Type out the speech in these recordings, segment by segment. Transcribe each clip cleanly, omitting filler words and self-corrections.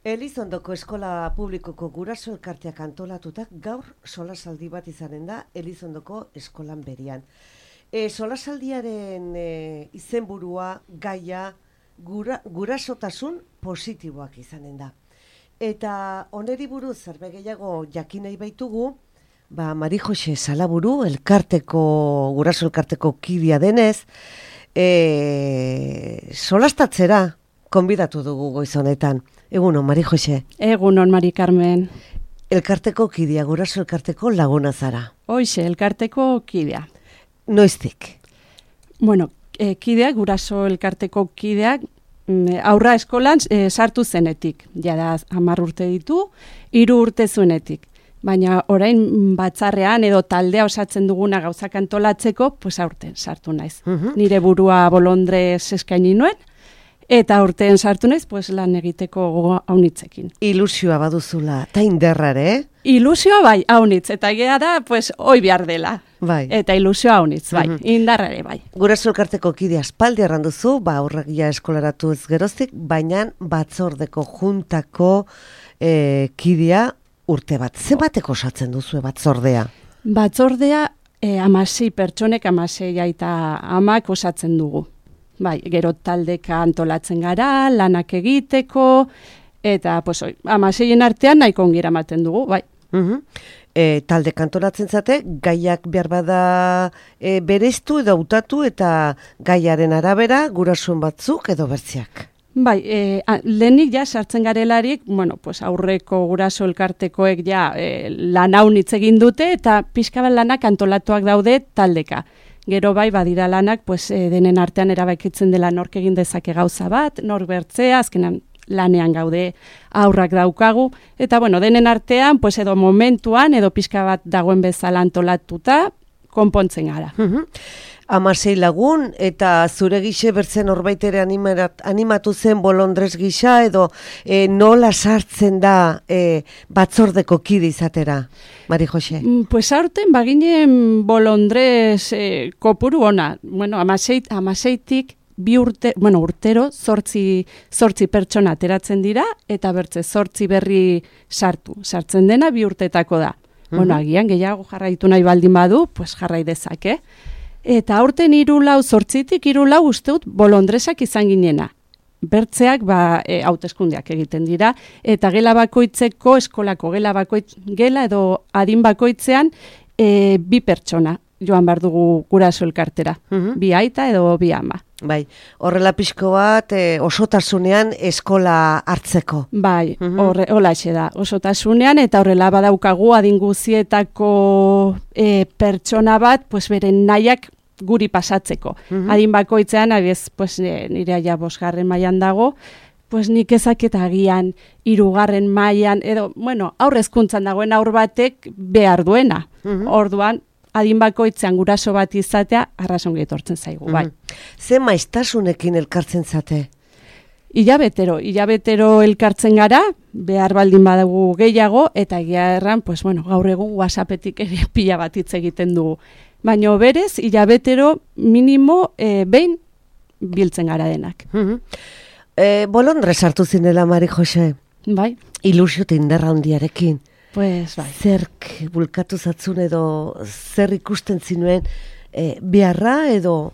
Elizondoko eskola publikoko guraso elkarteak antolatutak gaur solasaldi bat izanen da Elizondoko eskolan berian. Solasaldiaren izenburua gaia gurasotasun positiboak izanen da. Eta oneri buruz zerbait gehiago jakin nahi baitugu, Mari Jose Salaburu guraso elkarteko kidea denez, solastatzera konbidatu dugu goiz honetan. Egunon, Mari Jose. Egunon, Mari Carmen. Elkarteko kidea, guraso elkarteko laguna zara. Hoize, elkarteko kidea. Noiztik? Bueno, kideak, guraso elkarteko kideak, aurra eskolan sartu zenetik. Jada 10 urte ditu, 3 urte zuenetik. Baina orain batzarrean edo taldea osatzen duguna gauzak antolatzeko, pues aurten sartu naiz. Nire burua bolondrez eskaini nuen, eta urtean sartu naiz, pues lan egiteko haunitzekin. Ilusioa baduzula, eta inderrare, Ilusioa bai, haunitz, eta gea da, pues, oi behar dela. Bai. Eta ilusioa haunitz, bai, indarrare bai. Guraso elkarteko kidea aspaldi arranduzu, aurrak ja eskolaratu ez geroztik, baina batzordeko juntako kidea urte bat. Zenbateko osatzen duzu batzordea? Batzordea 16 pertsonek, 16 aita amak osatzen dugu. Bai, gero taldeka antolatzen gara, lanak egiteko, eta pues, 16 artean nahiko ongira ematen dugu, bai. Taldeka antolatzen zate, gaiak behar bada bereiztu edo hautatu eta gaiaren arabera gurasoen batzuk edo bertziak. Bai, lehenik ja sartzen garelarik, bueno, pues aurreko guraso elkartekoek ja lan haunitz egin dute eta pixka bat lanak antolatuak daude taldeka. Gero bai, badira lanak, pues, denen artean erabakitzen dela nork egin dezake gauza bat, nork bertzea, azkenan lanean gaude aurrak daukagu, eta bueno, denen artean, pues, edo momentuan, edo pixka bat dagoen bezala antolatuta, konpontzen gara. 16 lagun, eta zure gixe bertzen horbaitere animatu zen bolondrez gisa, edo nola sartzen da batzordeko kide izatera, Mari Jose? Pues aurten baginen bolondrez kopuru ona. Bueno, 16tik urtero 8 pertsona ateratzen dira, eta bertze 8 berri sartzen dena 2 urtetako da. Bueno, agian gehiago jarraitu nahi baldin badu, pues jarrai dezake. Eta aurten 8tik 3 usteut bolondresak izan ginena. Bertzeak hauteskundeak egiten dira, eta gela bakoitzeko, eskolako gela edo adin bakoitzean 2 pertsona joan behar dugu guraso elkartera. 2 aita edo 2 ama. Bai, horrela pixko bat osotasunean eskola hartzeko. Bai, holaxe da, osotasunean, eta horrela badaukagu adin guzietako pertsona bat, pues beren nahiak guri pasatzeko. Adin bakoitzean, pues, nire aia 5. mailan dago, pues nik ezaketa agian 3. mailan, edo, bueno, aurre hezkuntzan dagoen aur batek behar duena. Orduan, adin bakoitzean guraso bat izatea, arrazongi etortzen zaigu, bai. Ze maiztasunekin elkartzen zate? Hilabetero elkartzen gara, behar baldin badagu gehiago, eta egia erran, pues, bueno, gaur egun WhatsAppetik ere pila bat hitz egiten dugu. Baina berez, hilabetero minimo behin biltzen gara denak. Bolondrez hartu zinela, Mari Jose? Bai. Ilusio indarra handiarekin. Pues, bai. Zerk bulkatu zatzun edo zer ikusten zinuen beharra edo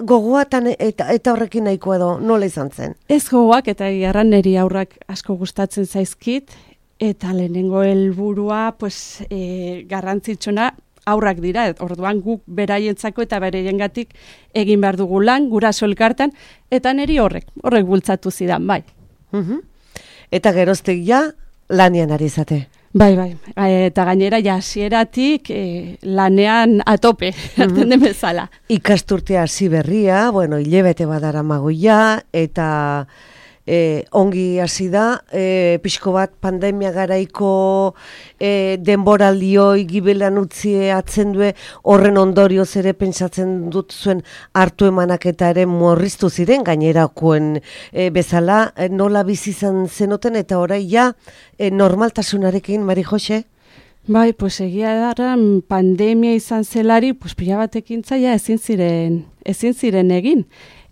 gogoatan eta horrekin nahiko edo nola izan zen? Ez gogoak eta egarran niri aurrak asko gustatzen zaizkit, eta lehenengo helburua pues, garrantzitsuna aurrak dira, orduan guk beraientzako eta bereiengatik egin behar dugu lan, guraso elkartan, eta niri horrek bultzatu zidan, bai. Eta geroztek ja, lanean ari zate. Bai, eta gainera hasieratik lanean atope, hartzen den bezala. Ikasturtea hasi berria, bueno, hilabete badara magoia, eta ongi hasi da, pixko bat pandemia garaiko denboraldioi gibelan utzi atzen due, horren ondorioz ere pentsatzen dut zuen hartu emanak eta ere murriztu ziren gainerakoen bezala, nola bizi izan zenoten eta orai ja normaltasunarekin, Mari Jose? Bai, pues egia da, pandemia izan zelari, pues pila batekin zaila ezin ziren egin.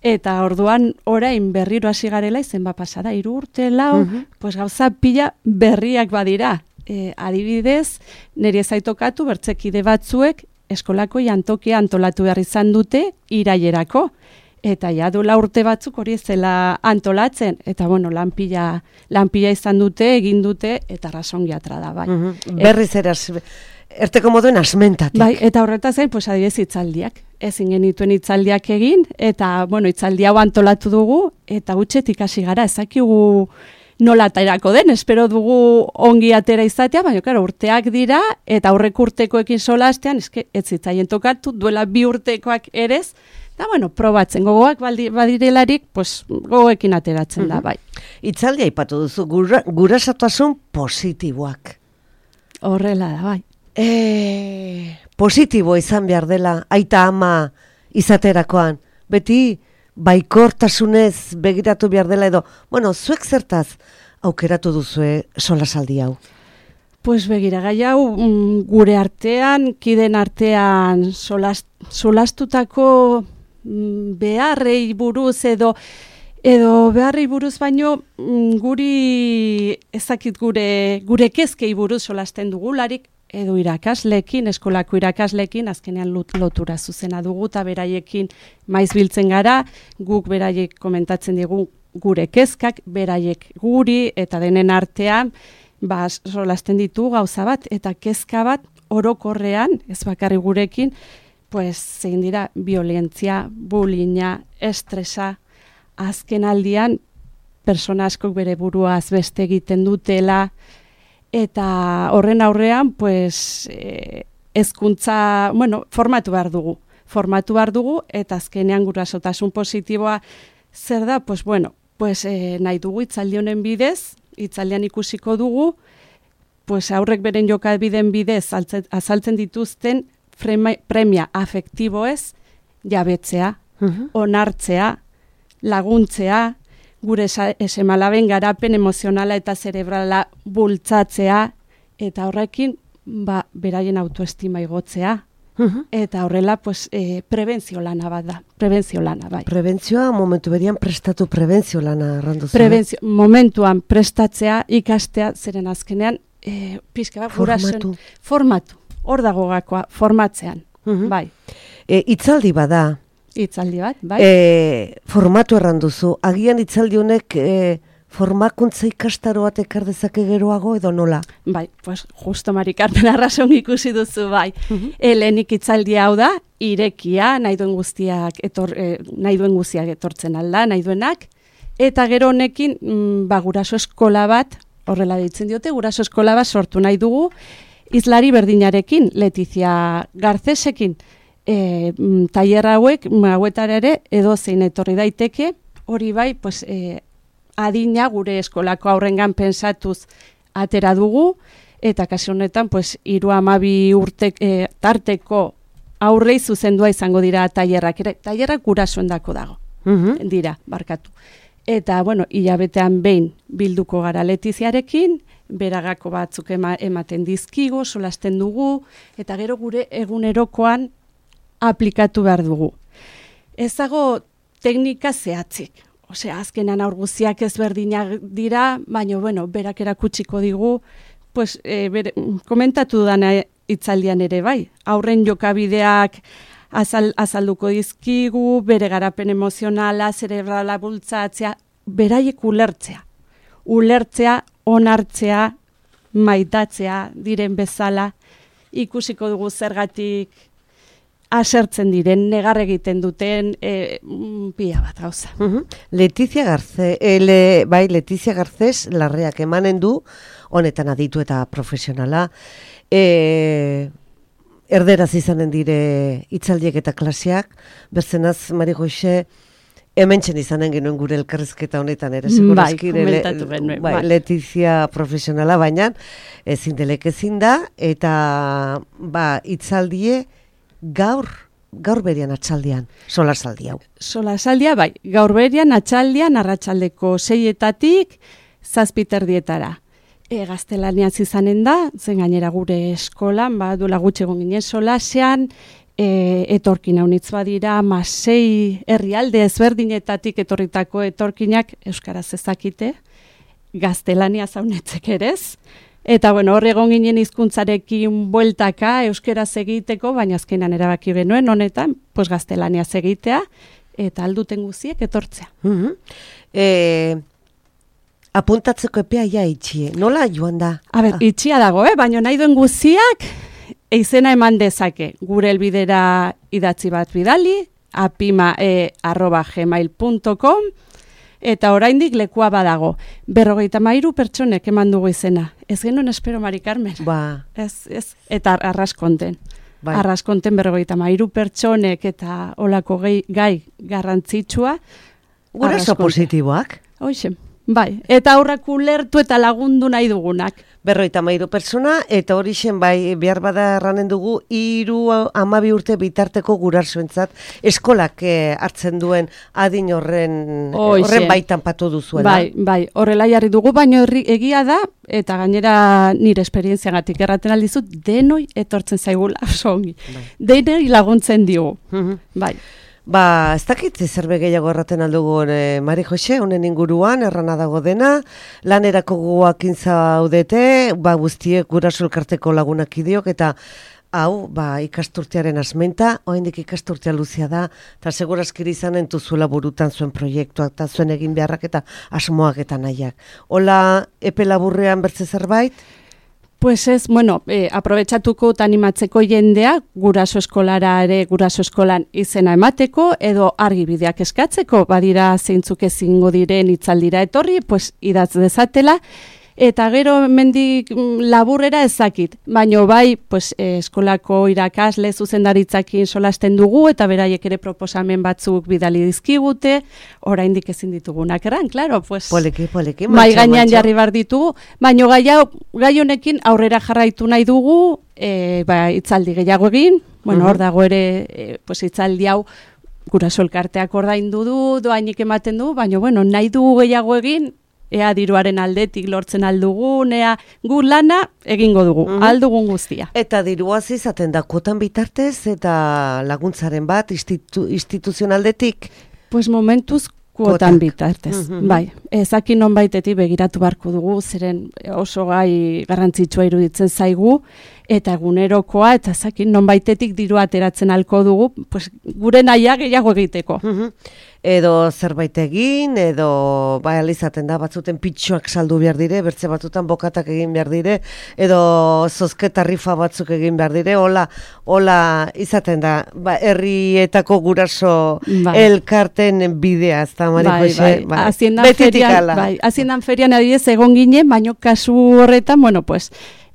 Eta orduan orain berriro hasi garela izen pasada 3 urte, 4, pues gauza pila berriak badira. Adibidez, niri ez zaitokatu bertzekide batzuek eskolako jantokia antolatu behar izan dute irailerako. Eta ja du 4 urte batzuk hori zela antolatzen. Eta bueno, lanpila izan dute, egin dute, eta rasongi atra da, bai. Berriz eraz, erteko moduen asmentatik. Bai, eta horretaz zain, pues adibidez hitzaldiak. Ezin genituen hitzaldiak egin, eta bueno, hitzaldi hau antolatu dugu, eta gutxetik hasi gara, ezakigu nola aterako den, espero dugu ongi atera izatea, baina claro, urteak dira, eta aurrek urtekoekin solastean, ez zitzaien tokatu, duela 2 urtekoak erez, eta bueno, probatzen, gogoak badirelarik, pues gogoekin ateratzen da, bai. Hitzaldia aipatu duzu, gurasatasun positiboak. Horrela da, bai. Positibo izan behar dela, aita ama izaterakoan, beti baikortasunez begiratu behar dela edo, bueno, zuek zertaz aukeratu duzue solasaldi hau? Pues begira, gai hau gure artean, kiden artean solastutako beharrei buruz edo beharrei buruz baino guri ezakit gure kezkei buruz solasten dugularik, edo irakaslekin, eskolako irakaslekin, azkenean lotura zuzena dugu, eta beraiekin maiz biltzen gara, guk beraiek komentatzen digu gure kezkak, beraiek guri, eta denen artean, solasten ditu gauza bat, eta kezka bat orokorrean, ez bakarri gurekin, pues, zein dira, violentzia, bullyinga, estresa, azken aldian, persona askok bere buruaz beste egiten dutela, eta horren aurrean, pues, hezkuntza, bueno, formatu behar dugu, eta azkenean gurasotasun positiboa zer da, pues, bueno, pues, nahi dugu hitzaldi honen bidez, hitzaldian ikusiko dugu, pues, aurrek beren jokabideen bidez azaltzen dituzten premia afektiboez jabetzea, onartzea, laguntzea, gure esemalaben garapen emozionala eta zerebrala bultzatzea, eta horrekin, beraien autoestima igotzea. Eta horrela, pues, prebentzio lana bat da. Bai. Prebentzioa, momentu berian prestatu prebentzio lana erranduzu. Momentuan prestatzea, ikastea, zeren azkenean, pixka bat, formatu. Hor dago gakoa, formatzean. Bai. Hitzaldi bada. Hitzaldi bat, bai. Formatu erranduzu. Agian hitzaldi honek formakuntza ikastaro bat ekar dezake geroago edo nola? Bai, pues justo Mari Carmen arrazon ikusi duzu, bai. Lehenik hitzaldi hau da, irekia, nahi duen guztiak etortzen alda, nahi duenak, eta gero honekin, guraso eskola bat, horrela ditzen diote, guraso eskola bat sortu nahi dugu, izlari berdinarekin, Letizia Garcesekin, tailer hauetara ere edo zein etorri daiteke, hori bai, pues, adina gure eskolako aurrengan pensatuz atera dugu, eta kasu honetan, pues, 3-12 urte tarteko aurrei zuzendua izango dira tailerrak gurasoendako dago, dira, barkatu. Eta, bueno, hilabetean behin bilduko gara Letiziarekin, beragako batzuk ematen dizkigo, solasten dugu, eta gero gure egunerokoan aplikatu behar dugu. Ez dago teknika zehatzik. Osea, azkenan aur guztiak ezberdinak dira, baina, bueno, berak erakutsiko digu, pues, komentatu dana hitzaldian ere bai. Aurren jokabideak azalduko dizkigu, bere garapen emozionala, zerebrala bultzatzea, beraiek ulertzea, onartzea, maitatzea diren bezala, ikusiko dugu zergatik asertzen diren, negar egiten duten, pila bat gauza. Letizia Garcés Larreak emanen du, honetan aditu eta profesionala, erderaz izanen dire hitzaldiek eta klaseak, berzenaz, Mari Goixe, hementsen izanen genuen gure elkarrizketa honetan ere, segurazki, Letizia profesionala, baina ezin da, eta hitzaldie gaur berian atxaldian, solasaldi hau. Solasaldia, bai, gaur berian atxaldian, arratsaldeko 6-etatik 7:30. Gaztelaniaz izanen da, zen gainera gure eskolan, duela gutxi egon ginen solasean, etorkin haunitz badira, 6 herrialde ezberdinetatik etorritako etorkinak euskaraz ezakite, gaztelania zaunetzek erez. Eta bueno, hor egon ginen hizkuntzarekin bueltaka euskaraz egiteko, baina azkenan erabaki genuen honetan, pues gaztelania egitea eta alduten guziek etortzea. Apuntatzeko epea ja itxie. Nola joan da? Itxia dago, baina nahi duen guziak izena eman dezake. Gure helbidera idatzi bat bidali, apima@gmail.com, eta oraindik lekua badago. 53 pertsonek eman dugu izena. Ez genuen espero, Mari Carmen. Ba. Ez. Eta arraskonten. Bai. Arraskonten 53 pertsonek eta olako gai garrantzitsua. Guraso positiboak. Hoxe. Bai, eta aurrak ulertu eta lagundu nahi dugunak. 53 pertsona, eta hori bai, behar bada erranen dugu, 3-12 urte bitarteko gurasoentzat eskolak hartzen duen adin horren baitan patu duzuela. Bai, horrela jarri dugu, baina egia da, eta gainera nire esperientziagatik erraten aldizut, denoi etortzen zaigula, oso ongi. Denoi laguntzen digu, bai. Ba, ez dakit zerbe gehiago erraten aldugun, Mari Jose, honen inguruan, errana dago dena, lanerako guakin zaudete, guztiek guraso elkarteko lagunak idiok, eta hau, ikasturtearen asmenta, oraindik ikasturtea luzea da, eta segurazkiri izanen duzuela burutan zuen proiektuak, eta zuen egin beharrak eta asmoak eta nahiak. Hola, epe laburrean bertze zerbait? Pues ez, aprobetxatuko eta animatzeko jendea, guraso eskolan izena emateko, edo argibideak eskatzeko, badira zeintzuk ezingo diren itzaldira etorri, pues idatz dezatela, eta gero mendik laburrera ezakit, baino bai, pues, eskolako irakasle zuzendaritzakin solasten dugu, eta beraiek ere proposamen batzuk bidali dizkigute, oraindik ezin ditugunak erran, claro, pues, poliki, mai gainean jarri bar ditugu, baino gai honekin aurrera jarraitu nahi dugu, itzaldi gehiago egin, hor dago ere, pues, itzaldi hau, guraso elkarteak ordaindu du, doainik ematen du, baino, nahi dugu gehiago egin, ea diruaren aldetik lortzen aldugun, ea gu lana egingo dugu, aldugun guztia. Eta diruaz izaten da kuotan bitartez eta laguntzaren bat instituzionaldetik? Pues momentuz kuotan bitartez, bai. Ezakin nonbaitetik begiratu barko dugu, zeren oso gai garrantzitsua iruditzen zaigu, eta egunerokoa, eta ezakin nonbaitetik diru ateratzen alko dugu, pues gure nahiak gehiago egiteko. Edo zerbait egin, edo alizaten da, batzuten pitxoak saldu behar dire, bertze batutan bokatak egin behar dire, edo zozketa rifa batzuk egin behar dire, hola izaten da, herrietako guraso elkarten bidea, ez da, Mari Jose? Betitik ala. Haziendan ferian adidez egon ginen, baino kasu horretan,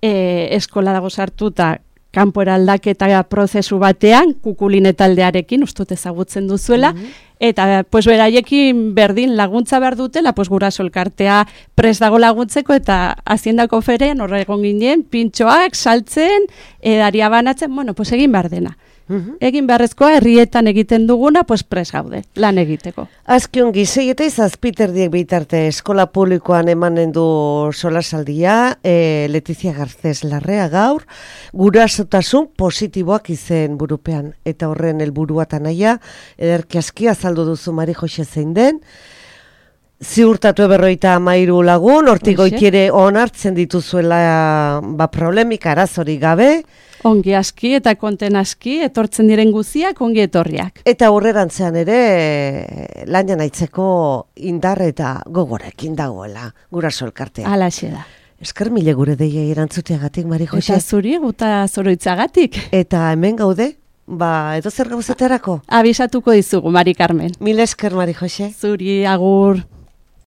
eskola dago sartuta, kanpora aldaketa prozesu batean, kukuline taldearekin, ustut ezagutzen duzuela, eta beraiekin berdin laguntza behar dutela, guraso elkartea prest dago laguntzeko, eta haziendako ferean horre egon ginen, pintxoak, saltzen, edaria banatzen, egin behar dena. Egin beharrezkoa herrietan egiten duguna, prest gaude, lan egiteko. Azkiongi, 6 eta 7 bitarte eskola publikoan emanen du solasaldia, Letizia Garcés Larrea gaur, gurasotasun positiboak izen burupean, eta horren helburua eta nahia, ederki aski azaldu duzu Mari Jose zein den, ziurtatu 53 lagun, hortik goitiere onartzen dituzuela problemik arazori gabe, ongi aski eta konten aski, etortzen diren guziak, ongi etorriak. Eta aurrerantzean ere, lanean aitzeko indar eta gogorekin dagoela, guraso elkartea. Halaxe da. Esker mile gure deia erantzuteagatik, Mari Jose. Eta zuri, guta zoroitzagatik. Eta hemen gaude, edo zer gauzaterako? Abisatuko dizugu, Mari Carmen. Mil esker, Mari Jose. Zuri, agur.